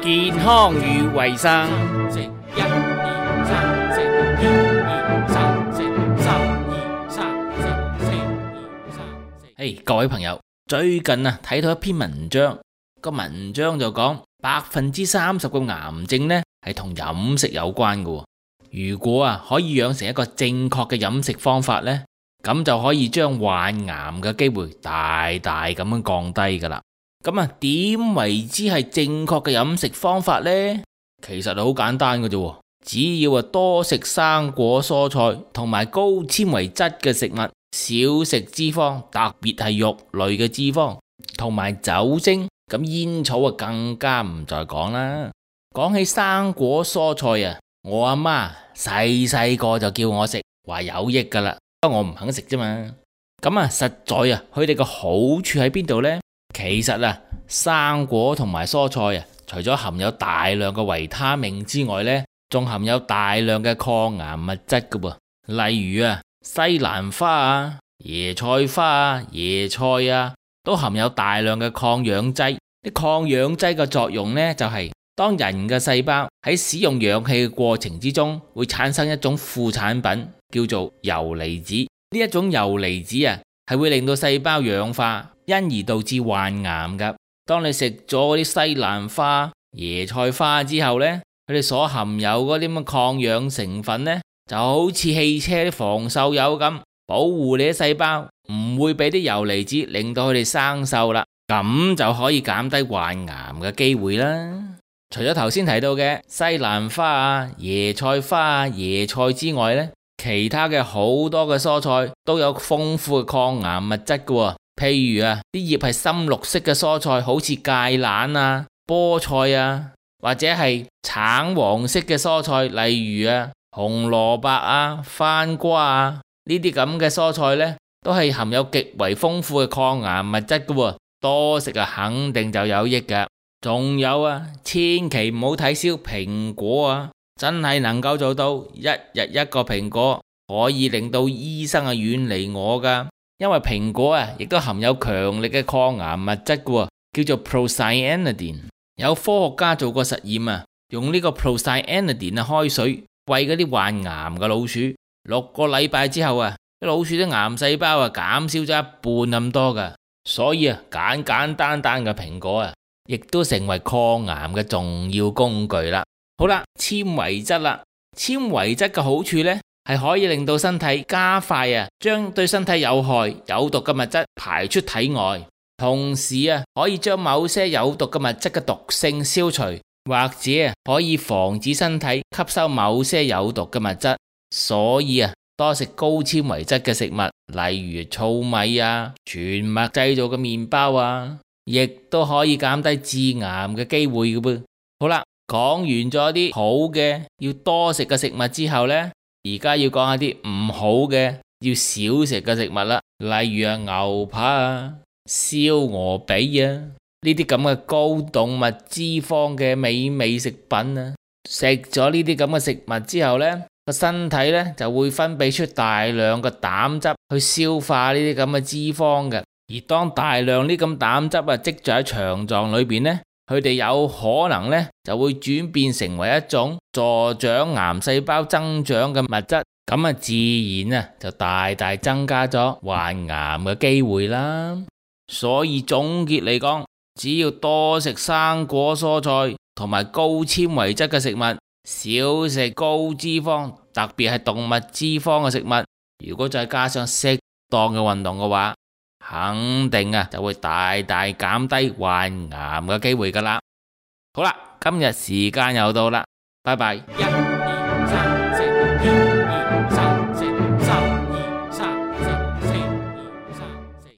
健康與衛生。食一二三，食二二三，食三二三，食四二三。嘿，各位朋友，最近睇到一篇文章，個文章就講30%嘅癌症呢係同飲食有關嘅。如果可以養成一個正確嘅飲食方法呢，咁就可以將患癌嘅機會大大咁樣降低噶啦。咁點為之係正確嘅飲食方法呢？其實好簡單嘅啫，只要多食生果蔬菜同埋高纖維質嘅食物，少食脂肪，特別係肉類嘅脂肪同埋酒精。咁煙草更加唔再講啦。講起生果蔬菜我阿媽細個就叫我食，話有益噶啦，不過我唔肯食啫嘛。咁實在佢哋個好處喺邊度呢？其實生果同埋蔬菜除咗含有大量嘅維他命之外呢，仲含有大量嘅抗癌物質噶噃。例如西蘭花椰菜花椰菜都含有大量嘅抗氧劑。啲抗氧劑嘅作用呢，就係當人嘅細胞喺使用氧氣嘅過程之中，會產生一種副產品叫做游離子。呢一種游離子係會令到細胞氧化，因而導致患癌噶。當你食咗嗰啲西蘭花椰菜花之後呢，佢哋所含有嗰啲咁嘅抗氧成分呢，就好似汽車啲防鏽油咁，保護你啲細胞唔會俾啲游離子令到佢哋生鏽啦。咁就可以減低患癌嘅機會啦。除咗頭先提到嘅西蘭花椰菜花椰菜之外呢，其他嘅好多嘅蔬菜都有豐富嘅抗癌物質嘅。譬如啲葉係深綠色嘅蔬菜，好似芥蘭菠菜或者係橙黃色嘅蔬菜，例如紅蘿蔔番瓜呢啲咁嘅蔬菜呢，都係含有極為豐富嘅抗癌物質嘅。多食肯定就有益噶。仲有千祈唔好睇小蘋果真係能夠做到一日一個蘋果，可以令到醫生遠離我噶。因為蘋果亦都含有強力嘅抗癌物質噶，叫做 procyanidin。有科學家做過實驗用呢個 procyanidin 開水餵嗰啲患癌嘅老鼠，6個禮拜之後啲老鼠啲癌細胞減少咗一半咁多噶。所以簡簡單單嘅蘋果亦都成為抗癌嘅重要工具啦。好啦，纖維質啦，纖維質嘅好處呢，係可以令到身體加快將對身體有害有毒嘅物質排出體外，同時可以將某些有毒嘅物質嘅毒性消除，或者可以防止身體吸收某些有毒嘅物質。所以多食高纖維質嘅食物，例如糙米全麥製造嘅麵包亦都可以減低致癌嘅機會嘅噃。好啦，講完咗啲好嘅要多食嘅食物之後呢，而家要講下啲唔好嘅要少食嘅食物啦。例如牛扒燒鵝髀呢啲咁嘅高動物脂肪嘅美味食品食咗呢啲咁嘅食物之後呢，個身體呢就會分泌出大量嘅膽汁去消化呢啲咁嘅脂肪嘅。而當大量呢咁膽汁積聚喺腸臟裏邊呢，佢哋有可能呢就會轉變成為一種助長癌細胞增長嘅物質，咁自然就大大增加咗患癌嘅機會啦。所以總結嚟講，只要多食生果蔬菜同埋高纖維質嘅食物，少食高脂肪，特別係動物脂肪嘅食物，如果再加上適當嘅運動嘅話，肯定就會大大減低患癌嘅機會噶啦。好啦，今日時間又到啦，拜拜。